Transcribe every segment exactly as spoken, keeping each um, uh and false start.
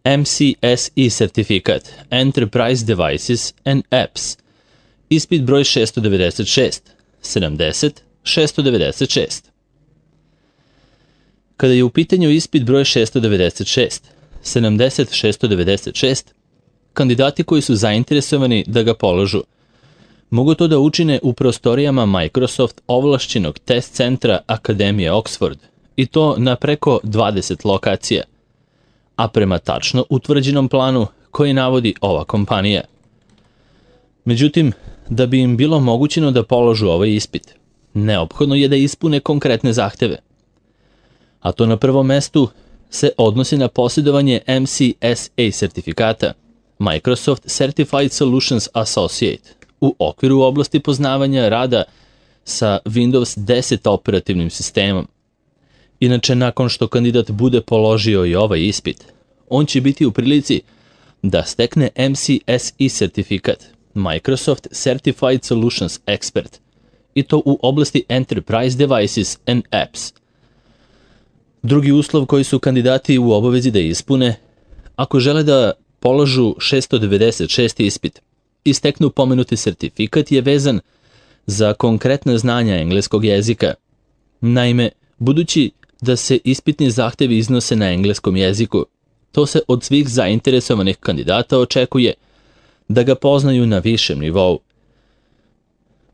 M C S E sertifikat Enterprise Devices and Apps, ispit broj šesto devedeset šest, sedamdeset, šesto devedeset šest. Kada je u pitanju ispit broj šesto devedeset šest, sedamdeset, šesto devedeset šest, kandidati koji su zainteresovani da ga položu mogu to da učine u prostorijama Microsoft ovlašćenog test centra Akademije Oxford, i to na preko dvadeset lokacija, a prema tačno utvrđenom planu koji navodi ova kompanija. Međutim, da bi im bilo mogućeno da položu ovaj ispit, neophodno je da ispune konkretne zahteve. A to na prvom mestu se odnosi na posjedovanje M C S A sertifikata, Microsoft Certified Solutions Associate, u okviru oblasti poznavanja rada sa Windows deset operativnim sistemom. Inače, nakon što kandidat bude položio i ovaj ispit, on će biti u prilici da stekne M C S E sertifikat, Microsoft Certified Solutions Expert, i to u oblasti Enterprise Devices and Apps. Drugi uslov koji su kandidati u obavezi da ispune, ako žele da položu šesto devedeset šesti ispit i steknu pomenuti sertifikat, je vezan za konkretna znanja engleskog jezika. Naime, budući da se ispitni zahtevi iznose na engleskom jeziku, to se od svih zainteresovanih kandidata očekuje da ga poznaju na višem nivou.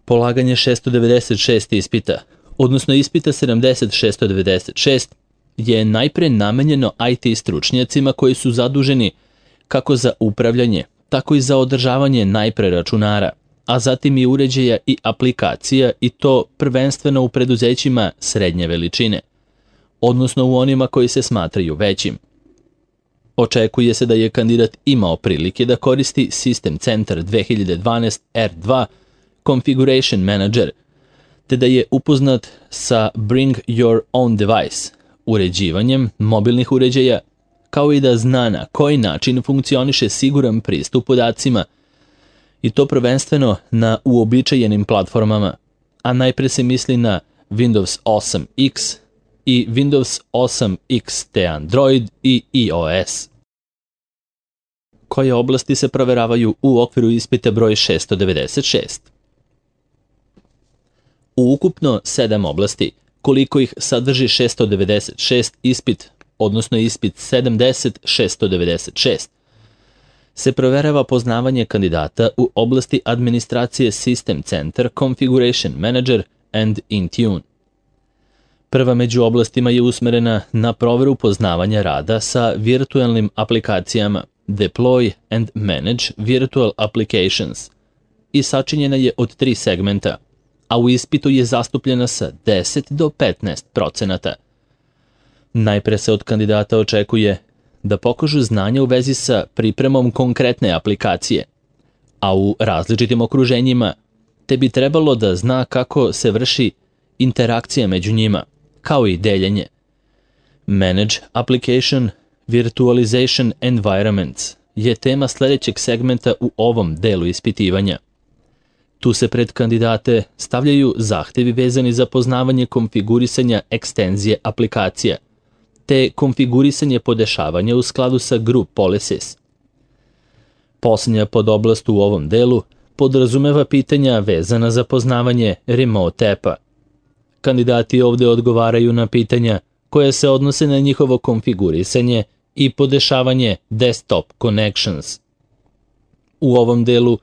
Polaganje šesto devedeset šest ispita, odnosno ispita sedamdeset šesto devedeset šest, je najpre namenjeno I T stručnjacima koji su zaduženi kako za upravljanje, tako i za održavanje najpre računara, a zatim i uređaja i aplikacija, i to prvenstveno u preduzećima srednje veličine, odnosno u onima koji se smatraju većim. Očekuje se da je kandidat imao prilike da koristi System Center dve hiljade dvanaest R dva Configuration Manager, te da je upoznat sa Bring Your Own Device, uređivanjem mobilnih uređaja, kao i da zna na koji način funkcioniše siguran pristup podacima, i to prvenstveno na uobičajenim platformama, a najpre se misli na Windows osam X i Windows osam X te Android i iOS. Koje oblasti se proveravaju u okviru ispita broj šesto devedeset šest? U ukupno sedam oblasti, koliko ih sadrži šesto devedeset šest ispit, odnosno ispit sedamdeset šesto devedeset šest, se proverava poznavanje kandidata u oblasti administracije System Center Configuration Manager and Intune. Prva među oblastima je usmerena na proveru poznavanja rada sa virtualnim aplikacijama Deploy and Manage Virtual Applications i sačinjena je od tri segmenta, a u ispitu je zastupljena sa deset do petnaest procenata. Najpre se od kandidata očekuje da pokažu znanja u vezi sa pripremom konkretne aplikacije, a u različitim okruženjima, te bi trebalo da zna kako se vrši interakcija među njima, kao i deljenje. Manage Application Virtualization Environments je tema sledećeg segmenta u ovom delu ispitivanja. Tu se pred kandidate stavljaju zahtevi vezani za poznavanje konfigurisanja ekstenzije aplikacija, te konfigurisanje podešavanja u skladu sa Group Policies. Posljednja podoblast u ovom delu podrazumeva pitanja vezana za poznavanje Remote App-a. Kandidati ovde odgovaraju na pitanja koje se odnose na njihovo konfigurisanje i podešavanje Desktop Connections. U ovom delu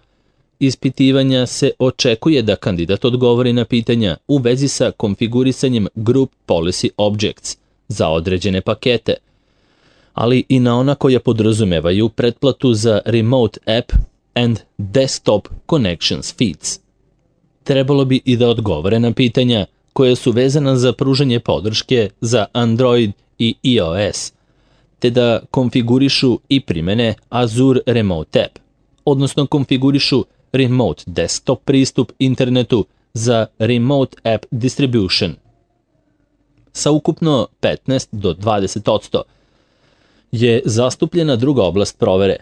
ispitivanja se očekuje da kandidat odgovori na pitanja u vezi sa konfigurisanjem Group Policy Objects za određene pakete, ali i na ona koja podrazumevaju pretplatu za Remote App and Desktop Connections Feeds. Trebalo bi i da odgovore na pitanja koje su vezana za pružanje podrške za Android i iOS, te da konfigurišu i primene Azure Remote App, odnosno konfigurišu Remote Desktop pristup internetu za Remote App Distribution. Sa ukupno petnaest do dvadeset posto je zastupljena druga oblast provere,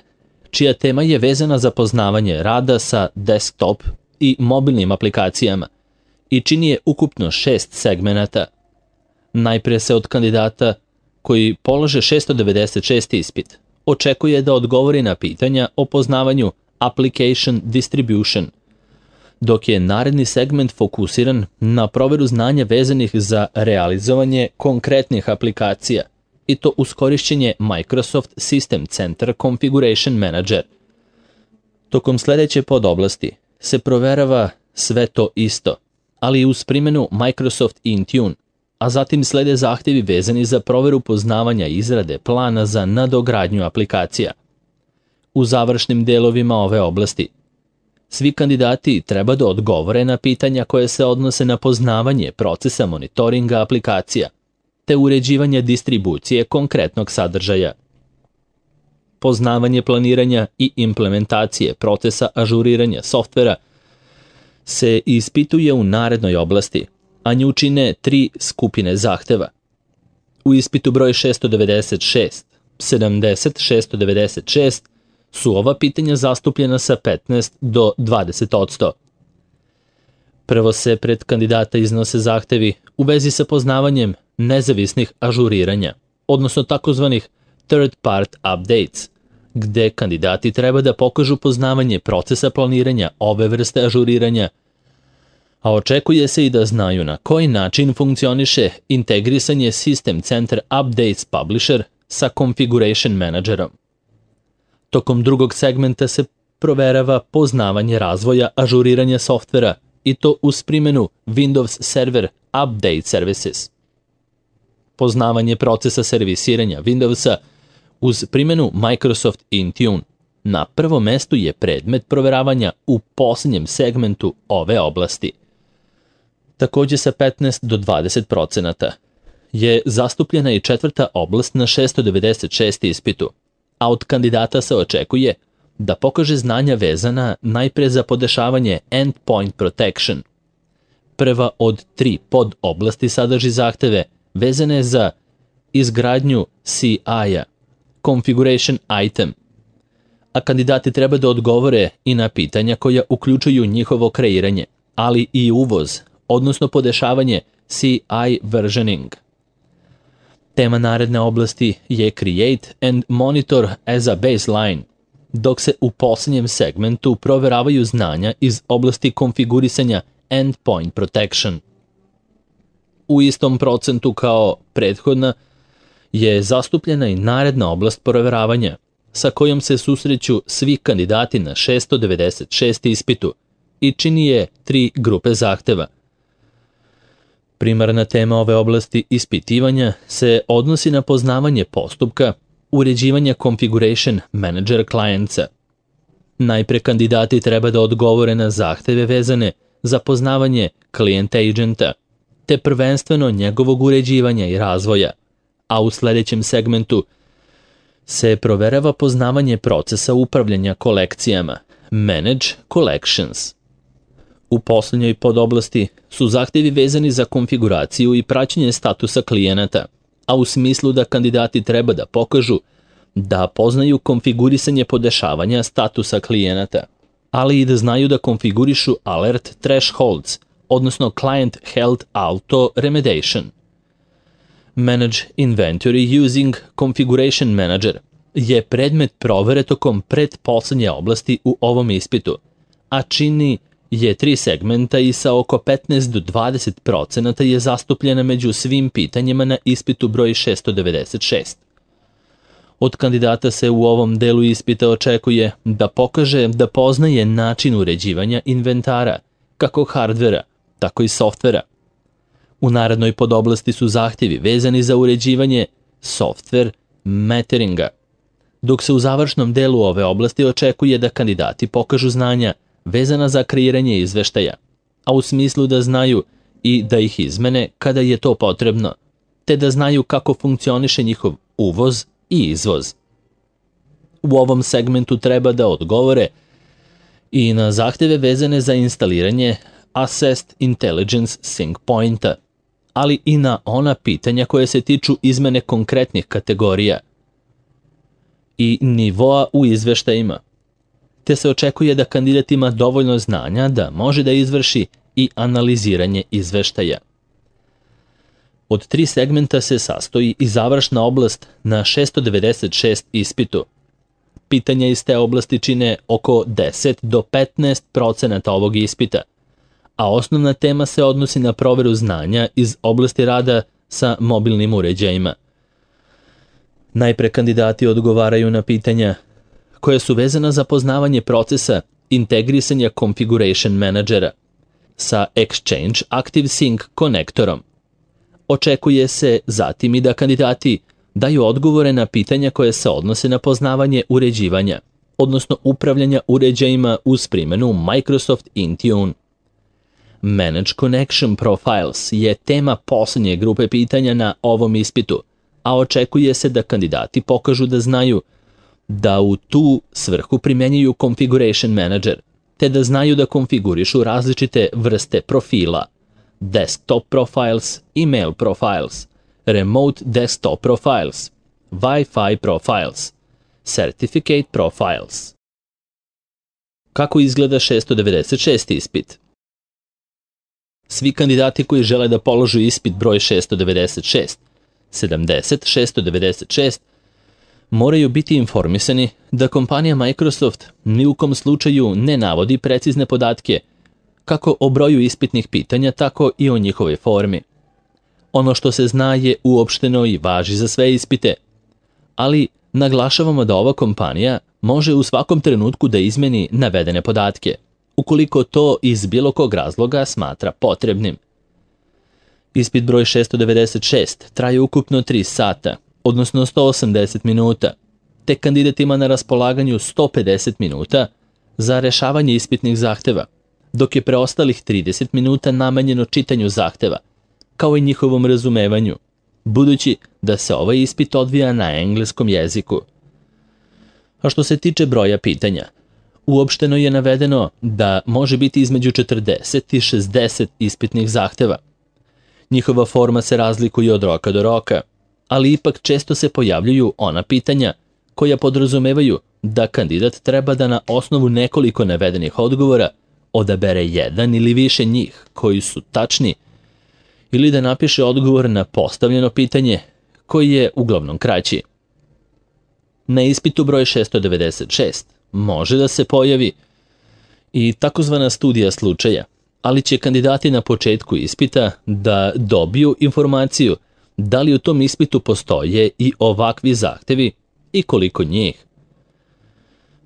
čija tema je vezana za poznavanje rada sa desktop i mobilnim aplikacijama i čini je ukupno šest segmenata. Najpre se od kandidata koji polože šesto devedeset šesti ispit očekuje da odgovori na pitanja o poznavanju application distribution, dok je naredni segment fokusiran na proveru znanja vezanih za realizovanje konkretnih aplikacija, i to uz korišćenje Microsoft System Center Configuration Manager. Tokom sledeće podoblasti se proverava sve to isto, ali i uz primjenu Microsoft Intune, a zatim slede zahtjevi vezani za proveru poznavanja izrade plana za nadogradnju aplikacija. U završnim delovima ove oblasti svi kandidati treba da odgovore na pitanja koje se odnose na poznavanje procesa monitoringa aplikacija, te uređivanje distribucije konkretnog sadržaja. Poznavanje planiranja i implementacije procesa ažuriranja softvera se ispituje u narednoj oblasti, a nju čine tri skupine zahteva. U ispitu broj šesto devedeset šest, sedamdeset, šesto devedeset šest su ova pitanja zastupljena sa petnaest do dvadeset odsto. Prvo se pred kandidata iznose zahtevi u vezi sa poznavanjem nezavisnih ažuriranja, odnosno takozvanih third part updates, gde kandidati treba da pokažu poznavanje procesa planiranja ove vrste ažuriranja, a očekuje se i da znaju na koji način funkcioniše integrisanje System Center Updates Publisher sa Configuration Managerom. Tokom drugog segmenta se proverava poznavanje razvoja ažuriranja softvera, i to uz primjenu Windows Server Update Services. Poznavanje procesa servisiranja Windowsa uz primjenu Microsoft Intune na prvom mestu je predmet proveravanja u posljednjem segmentu ove oblasti. Takođe sa petnaest do dvadeset procenata je zastupljena i četvrta oblast na šesto devedeset šest ispitu, a od kandidata se očekuje da pokaže znanja vezana najpre za podešavanje Endpoint Protection. Prva od tri pod oblasti sadrži zahteve vezane za izgradnju C I-a, Configuration Item, a kandidati treba da odgovore i na pitanja koja uključuju njihovo kreiranje, ali i uvoz, odnosno podešavanje C I versioning. Tema naredne oblasti je Create and Monitor as a Baseline, dok se u posljednjem segmentu proveravaju znanja iz oblasti konfigurisanja Endpoint Protection. U istom procentu kao prethodna je zastupljena i naredna oblast proveravanja, sa kojom se susreću svi kandidati na šesto devedeset šest ispitu i čini je tri grupe zahteva. Primarna tema ove oblasti ispitivanja se odnosi na poznavanje postupka uređivanja Configuration Manager clientsa. Najpre kandidati treba da odgovore na zahteve vezane za poznavanje Client Agenta, te prvenstveno njegovog uređivanja i razvoja, a u sledećem segmentu se proverava poznavanje procesa upravljanja kolekcijama, Manage Collections. U posljednjoj podoblasti su zahtevi vezani za konfiguraciju i praćenje statusa klijenata, a u smislu da kandidati treba da pokažu da poznaju konfigurisanje podešavanja statusa klijenata, ali i da znaju da konfigurišu Alert Thresholds, odnosno Client Health Auto Remediation. Manage Inventory Using Configuration Manager je predmet provere tokom pretposlednje oblasti u ovom ispitu, a čini je tri segmenta i sa oko petnaest do dvadeset procenata je zastupljena među svim pitanjima na ispitu broj šesto devedeset šest. Od kandidata se u ovom delu ispita očekuje da pokaže da poznaje način uređivanja inventara, kako hardvera, tako i softvera. U narednoj podoblasti su zahtjevi vezani za uređivanje software meteringa, dok se u završnom delu ove oblasti očekuje da kandidati pokažu znanja vezana za kreiranje izveštaja, a u smislu da znaju i da ih izmene kada je to potrebno, te da znaju kako funkcioniše njihov uvoz i izvoz. U ovom segmentu treba da odgovore i na zahteve vezane za instaliranje Assessed Intelligence Sync Pointa, ali i na ona pitanja koje se tiču izmene konkretnih kategorija i nivoa u izveštajima, te se očekuje da kandidat ima dovoljno znanja da može da izvrši i analiziranje izveštaja. Od tri segmenta se sastoji i završna oblast na šesto devedeset šest ispitu. Pitanja iz te oblasti čine oko deset do petnaest procenata ovog ispita, a osnovna tema se odnosi na proveru znanja iz oblasti rada sa mobilnim uređajima. Najpre kandidati odgovaraju na pitanja koja su vezana za poznavanje procesa integrisanja Configuration Managera sa Exchange ActiveSync konektorom. Očekuje se zatim i da kandidati daju odgovore na pitanja koje se odnose na poznavanje uređivanja, odnosno upravljanja uređajima uz primjenu Microsoft Intune. Manage Connection Profiles je tema poslednje grupe pitanja na ovom ispitu, a očekuje se da kandidati pokažu da znaju da u tu svrhu primjenjuju Configuration Manager, te da znaju da konfigurišu različite vrste profila, Desktop Profiles, Email Profiles, Remote Desktop Profiles, Wi-Fi Profiles, Certificate Profiles. Kako izgleda šesto devedeset šesti ispit? Svi kandidati koji žele da položu ispit broj šesto devedeset šest, sedamdeset, šesto devedeset šest, moraju biti informisani da kompanija Microsoft ni u kom slučaju ne navodi precizne podatke kako o broju ispitnih pitanja, tako i o njihovoj formi. Ono što se zna je uopšteno i važi za sve ispite, ali naglašavamo da ova kompanija može u svakom trenutku da izmeni navedene podatke, ukoliko to iz bilo kog razloga smatra potrebnim. Ispit broj šesto devedeset šest traje ukupno tri sata, odnosno sto osamdeset minuta, te kandidat ima na raspolaganju sto pedeset minuta za rešavanje ispitnih zahteva, dok je preostalih trideset minuta namenjeno čitanju zahteva, kao i njihovom razumevanju, budući da se ovaj ispit odvija na engleskom jeziku. A što se tiče broja pitanja, uopšteno je navedeno da može biti između četrdeset i šezdeset ispitnih zahteva. Njihova forma se razlikuje od roka do roka, ali ipak često se pojavljuju ona pitanja koja podrazumevaju da kandidat treba da na osnovu nekoliko navedenih odgovora odabere jedan ili više njih koji su tačni, ili da napiše odgovor na postavljeno pitanje koji je uglavnom kraći. Na ispitu broj šesto devedeset šest može da se pojavi i takozvana studija slučaja, ali će kandidati na početku ispita da dobiju informaciju da li u tom ispitu postoje i ovakvi zahtevi i koliko njih.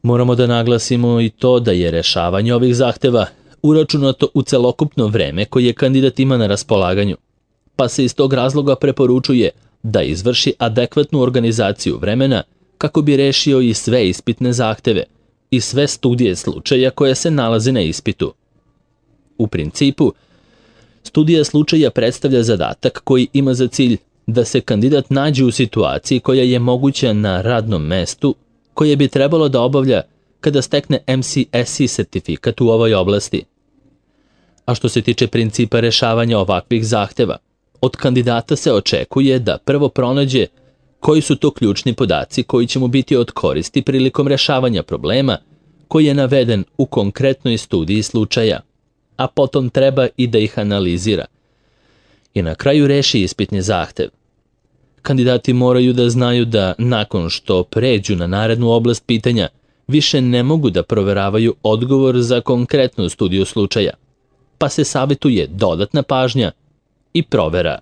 Moramo da naglasimo i to da je rešavanje ovih zahteva uračunato u celokupno vreme koje kandidat ima na raspolaganju, pa se iz tog razloga preporučuje da izvrši adekvatnu organizaciju vremena kako bi rešio i sve ispitne zahteve i sve studije slučaja koje se nalaze na ispitu. U principu, studija slučaja predstavlja zadatak koji ima za cilj da se kandidat nađe u situaciji koja je moguća na radnom mestu koje bi trebalo da obavlja kada stekne M C S E sertifikat u ovoj oblasti. A što se tiče principa rešavanja ovakvih zahteva, od kandidata se očekuje da prvo pronađe koji su to ključni podaci koji će mu biti od koristi prilikom rešavanja problema koji je naveden u konkretnoj studiji slučaja, a potom treba i da ih analizira i na kraju reši ispitni zahtev. Kandidati moraju da znaju da nakon što pređu na narednu oblast pitanja, više ne mogu da proveravaju odgovor za konkretnu studiju slučaja, pa se savjetuje dodatna pažnja i provera.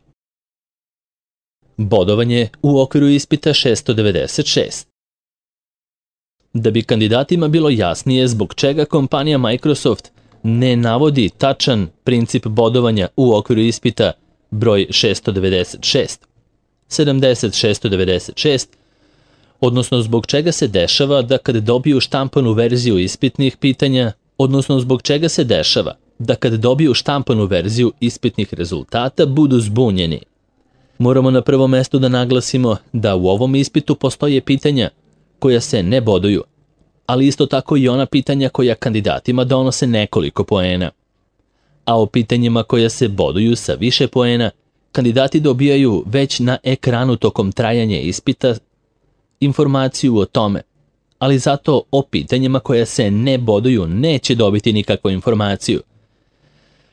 Bodovanje u okviru ispita šesto devedeset šest. Da bi kandidatima bilo jasnije zbog čega kompanija Microsoft ne navodi tačan princip bodovanja u okviru ispita broj šesto devedeset šest, sedamdeset, šesto devedeset šest, odnosno zbog čega se dešava da kad dobiju štampanu verziju ispitnih pitanja, odnosno zbog čega se dešava da kad dobiju štampanu verziju ispitnih rezultata budu zbunjeni. Moramo na prvom mestu da naglasimo da u ovom ispitu postoje pitanja koja se ne boduju, ali isto tako i ona pitanja koja kandidatima donose nekoliko poena. A o pitanjima koja se boduju sa više poena, kandidati dobijaju već na ekranu tokom trajanja ispita informaciju o tome, ali zato o pitanjima koja se ne boduju neće dobiti nikakvu informaciju.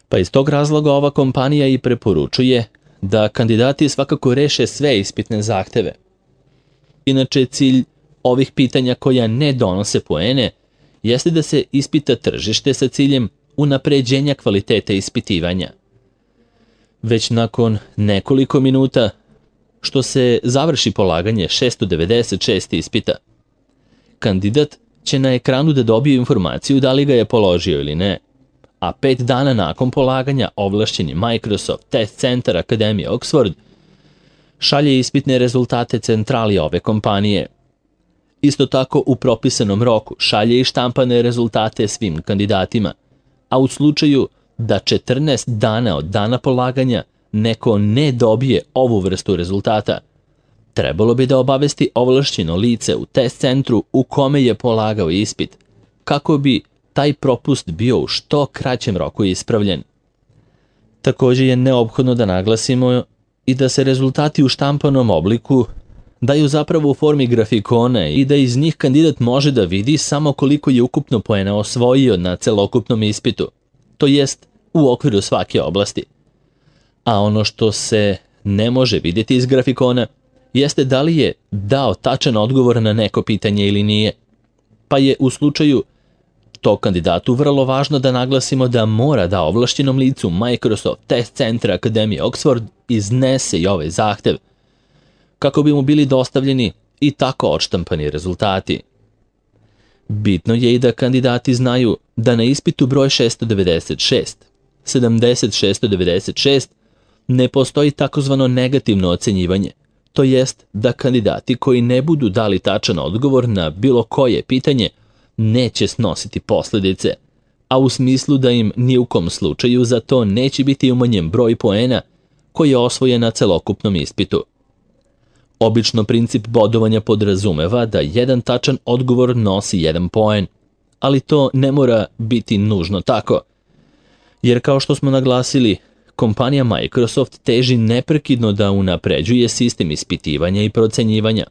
Pa iz tog razloga ova kompanija i preporučuje da kandidati svakako reše sve ispitne zahteve. Inače, cilj ovih pitanja koja ne donose poene jeste da se ispita tržište sa ciljem unapređenja kvalitete ispitivanja. Već nakon nekoliko minuta što se završi polaganje šesto devedeset šest ispita, kandidat će na ekranu da dobije informaciju da li ga je položio ili ne, a pet dana nakon polaganja ovlašćeni Microsoft Test Center Akademije Oxford šalje ispitne rezultate centrali ove kompanije. Isto tako u propisanom roku šalje i štampane rezultate svim kandidatima, a u slučaju da četrnaest dana od dana polaganja neko ne dobije ovu vrstu rezultata, trebalo bi da obavesti ovlašćeno lice u test centru u kome je polagao ispit, kako bi taj propust bio u što kraćem roku ispravljen. Također je neophodno da naglasimo i da se rezultati u štampanom obliku daju zapravo u formi grafikona i da iz njih kandidat može da vidi samo koliko je ukupno poena osvojio na celokupnom ispitu, to jest u okviru svake oblasti. A ono što se ne može vidjeti iz grafikona jeste da li je dao tačan odgovor na neko pitanje ili nije, pa je u slučaju tog kandidatu vrlo važno da naglasimo da mora da ovlašćenom licu Microsoft Test Center Akademije Oxford iznese i ovaj zahtev, kako bi mu bili dostavljeni i tako odštampani rezultati. Bitno je i da kandidati znaju da na ispitu broj šesto devedeset šest, sedamdeset šesto devedeset šest ne postoji takozvano negativno ocenjivanje, to jest da kandidati koji ne budu dali tačan odgovor na bilo koje pitanje neće snositi posljedice, a u smislu da im ni u kom slučaju za to neće biti umanjen broj poena koji je osvojen na celokupnom ispitu. Obično princip bodovanja podrazumeva da jedan tačan odgovor nosi jedan poen, ali to ne mora biti nužno tako, jer kao što smo naglasili, kompanija Microsoft teži neprekidno da unapređuje sistem ispitivanja i procenjivanja,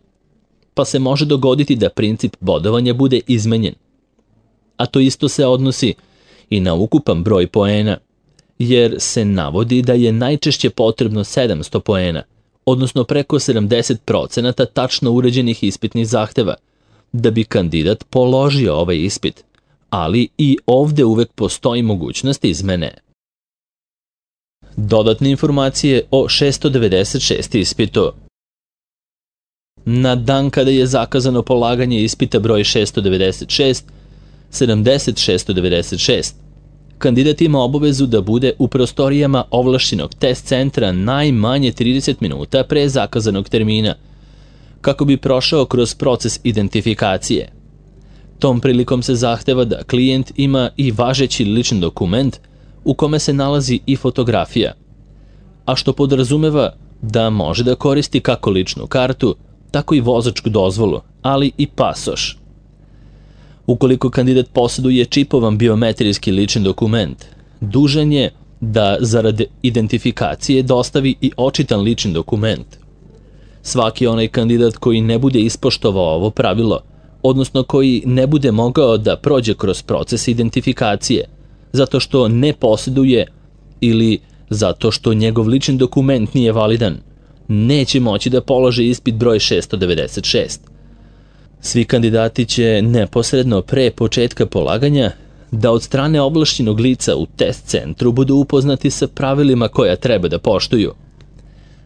pa se može dogoditi da princip bodovanja bude izmenjen. A to isto se odnosi i na ukupan broj poena, jer se navodi da je najčešće potrebno sedamsto poena, odnosno preko sedamdeset procenata tačno uređenih ispitnih zahteva, da bi kandidat položio ovaj ispit, ali i ovde uvek postoji mogućnost izmene. Dodatne informacije o šesto devedeset šest ispitu. Na dan kada je zakazano polaganje ispita broj šesto devedeset šest, sedamdeset šesto devedeset šest, kandidat ima obavezu da bude u prostorijama ovlašćenog test centra najmanje trideset minuta pre zakazanog termina, kako bi prošao kroz proces identifikacije. Tom prilikom se zahteva da klijent ima i važeći lični dokument u kome se nalazi i fotografija, a što podrazumeva da može da koristi kako ličnu kartu, tako i vozačku dozvolu, ali i pasoš. Ukoliko kandidat posjeduje čipovan biometrijski lični dokument, dužan je da zarad identifikacije dostavi i očitan lični dokument. Svaki onaj kandidat koji ne bude ispoštovao ovo pravilo, odnosno koji ne bude mogao da prođe kroz proces identifikacije, zato što ne posjeduje ili zato što njegov lični dokument nije validan, neće moći da položi ispit broj šesto devedeset šest. Svi kandidati će neposredno pre početka polaganja da od strane ovlašćenog lica u test centru budu upoznati sa pravilima koja treba da poštuju.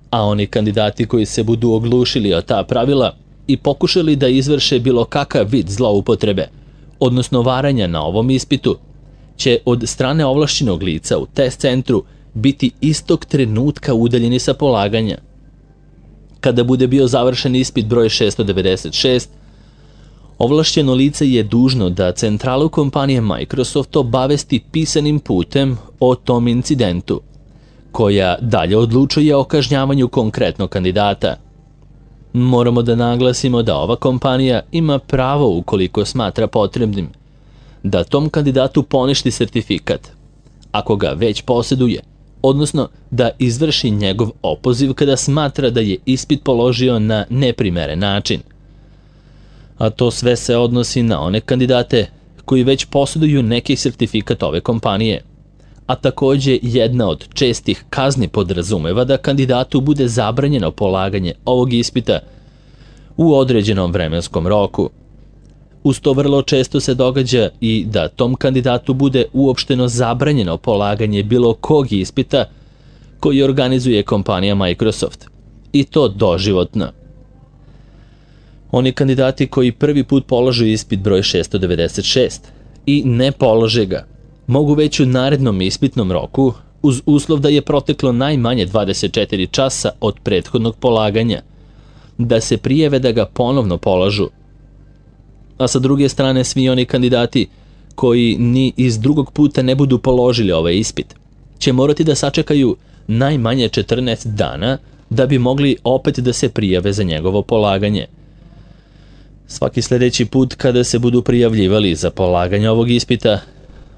A oni kandidati koji se budu oglušili o ta pravila i pokušali da izvrše bilo kakav vid zloupotrebe, odnosno varanja na ovom ispitu, će od strane ovlašćenog lica u test centru biti istog trenutka udaljeni sa polaganja. Kada bude bio završen ispit broj šesto devedeset šest, ovlašćeno lice je dužno da centralu kompanije Microsoft obavesti pisanim putem o tom incidentu, koja dalje odlučuje o kažnjavanju konkretnog kandidata. Moramo da naglasimo da ova kompanija ima pravo, ukoliko smatra potrebnim, da tom kandidatu poništi sertifikat, ako ga već posjeduje, odnosno da izvrši njegov opoziv kada smatra da je ispit položio na neprimeren način. A to sve se odnosi na one kandidate koji već posjeduju neki sertifikat ove kompanije, a takođe jedna od čestih kazni podrazumeva da kandidatu bude zabranjeno polaganje ovog ispita u određenom vremenskom roku. Uz to vrlo često se događa i da tom kandidatu bude uopšteno zabranjeno polaganje bilo kog ispita koji organizuje kompanija Microsoft, i to doživotno. Oni kandidati koji prvi put polažu ispit broj šesto devedeset šest i ne polože ga, mogu već u narednom ispitnom roku, uz uslov da je proteklo najmanje dvadeset četiri časa od prethodnog polaganja, da se prijave da ga ponovno polažu. A sa druge strane, svi oni kandidati koji ni iz drugog puta ne budu položili ovaj ispit će morati da sačekaju najmanje četrnaest dana da bi mogli opet da se prijave za njegovo polaganje. Svaki sledeći put kada se budu prijavljivali za polaganje ovog ispita,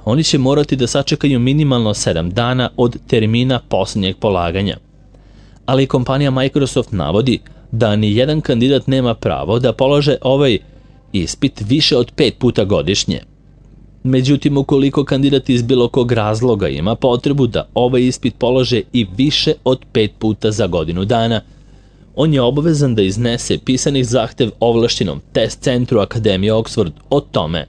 oni će morati da sačekaju minimalno sedam dana od termina posljednjeg polaganja. Ali kompanija Microsoft navodi da ni jedan kandidat nema pravo da polaže ovaj ispit više od pet puta godišnje. Međutim, ukoliko kandidat iz bilo kog razloga ima potrebu da ovaj ispit polože i više od pet puta za godinu dana, on je obavezan da iznese pisani zahtev ovlašćenom test centru Akademije Oxford o tome.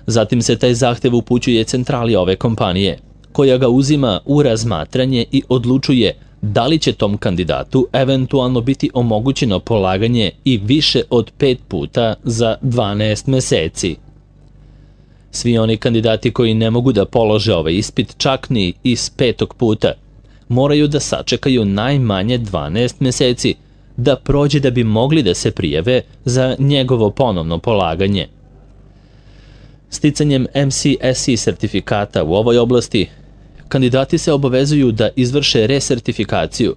Zatim se taj zahtev upućuje centrali ove kompanije, koja ga uzima u razmatranje i odlučuje da li će tom kandidatu eventualno biti omogućeno polaganje i više od pet puta za dvanaest meseci. Svi oni kandidati koji ne mogu da polože ovaj ispit čak ni iz petog puta, moraju da sačekaju najmanje dvanaest meseci da prođe da bi mogli da se prijave za njegovo ponovno polaganje. Sticanjem M C S E sertifikata u ovoj oblasti, kandidati se obavezuju da izvrše resertifikaciju,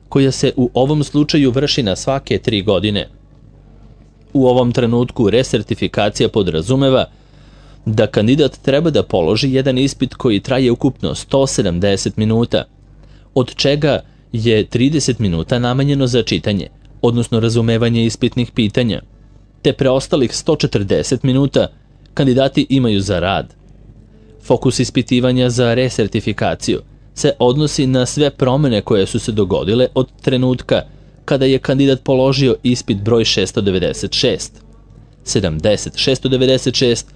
koja se u ovom slučaju vrši na svake tri godine. U ovom trenutku resertifikacija podrazumeva da kandidat treba da položi jedan ispit koji traje ukupno sto sedamdeset minuta, od čega je trideset minuta namenjeno za čitanje, odnosno razumevanje ispitnih pitanja, te preostalih sto četrdeset minuta kandidati imaju za rad. Fokus ispitivanja za resertifikaciju se odnosi na sve promene koje su se dogodile od trenutka kada je kandidat položio ispit broj šesto devedeset šest, sedamdeset, šesto devedeset šest,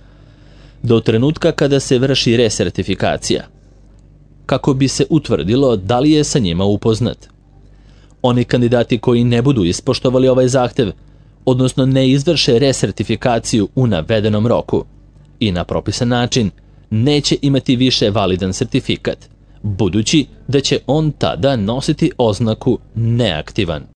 do trenutka kada se vrši resertifikacija, kako bi se utvrdilo da li je sa njima upoznat. Oni kandidati koji ne budu ispoštovali ovaj zahtev, odnosno ne izvrše resertifikaciju u navedenom roku i na propisan način, neće imati više validan sertifikat, budući da će on tada nositi oznaku neaktivan.